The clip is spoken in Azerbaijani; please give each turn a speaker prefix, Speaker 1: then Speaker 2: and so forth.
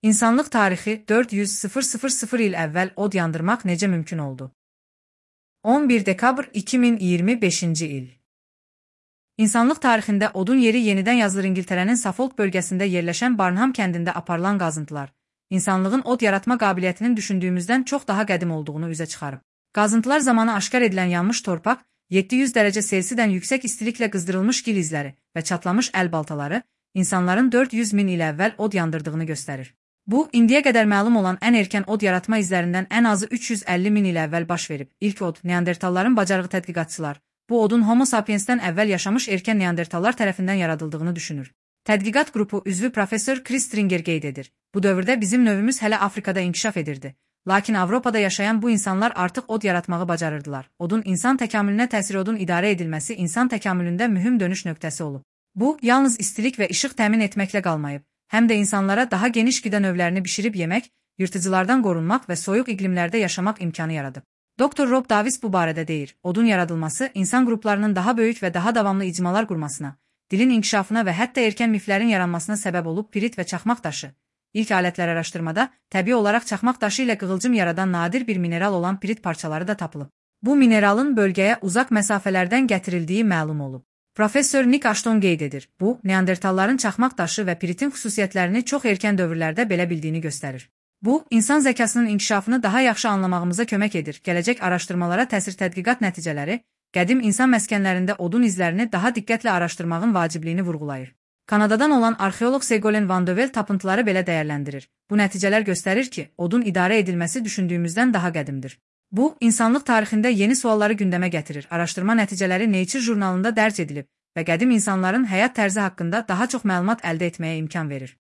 Speaker 1: İnsanlıq tarixi 400.000 il əvvəl od yandırmaq necə mümkün oldu? 11 dekabr 2025-ci il. İnsanlıq tarixində odun yeri yenidən yazılır. İngiltərənin Suffolk bölgəsində yerləşən Barnham kəndində aparılan qazıntılar, insanlığın od yaratma qabiliyyətinin düşündüyümüzdən çox daha qədim olduğunu üzə çıxarıb. Qazıntılar zamanı aşkar edilən yanmış torpaq, 700 dərəcə Selsidən yüksək istiliklə qızdırılmış gil izləri və çatlamış əl baltaları insanların 400 min il əvvəl od yandırdığını göstərir. Bu, indiyə qədər məlum olan ən erkən od yaratma izlərindən ən azı 350 min il əvvəl baş verib. İlk od, Neandertalların bacarığı tədqiqatçılar, bu odun Homo sapiensdən əvvəl yaşamış erkən Neandertallar tərəfindən yaradıldığını düşünür. Tədqiqat qrupu üzvü professor Chris Stringer qeyd edir. Bu dövrdə bizim növümüz hələ Afrikada inkişaf edirdi. Lakin Avropada yaşayan bu insanlar artıq od yaratmağı bacarırdılar. Odun insan təkamülünə təsiri odun idarə edilməsi insan təkamülündə mühüm dönüş nöqtəsi olub. Bu, yalnız istilik və işıq təmin etməklə qalmayıb, həm də insanlara daha geniş qida növlərini bişirib yemək, yırtıcılardan qorunmaq və soyuq iqlimlərdə yaşamaq imkanı yaradıb. Dr. Rob Davis bu barədə deyir, odun yaradılması insan qruplarının daha böyük və daha davamlı icmalar qurmasına, dilin inkişafına və hətta erkən miflərin yaranmasına səbəb olub. Pirit və çaxmaq daşı. İlk alətlər araşdırmada təbii olaraq çaxmaq daşı ilə qığılcım yaradan nadir bir mineral olan pirit parçaları da tapılıb. Bu mineralın bölgəyə uzaq məsafələrdən gətirildiyi məlum olub. Professor Nick Ashton qeyd edir. Bu, Neandertalların çaxmaq daşı və piritin xüsusiyyətlərini çox erkən dövrlərdə belə bildiyini göstərir. Bu, insan zəkasının inkişafını daha yaxşı anlamağımıza kömək edir. Gələcək araşdırmalara təsir tədqiqat nəticələri, qədim insan məskənlərində odun izlərini daha diqqətlə araşdırmağın vacibliyini vurğulayır. Kanadadan olan arxeoloq Ségolène Vandevel tapıntıları belə dəyərləndirir. Bu nəticələr göstərir ki, odun idarə edilməsi düşündüyümüzdən daha qədimdir. Bu, insanlıq tarixində yeni sualları gündəmə gətirir. Araşdırma nəticələri Nature jurnalında dərc edilib və qədim insanların həyat tərzi haqqında daha çox məlumat əldə etməyə imkan verir.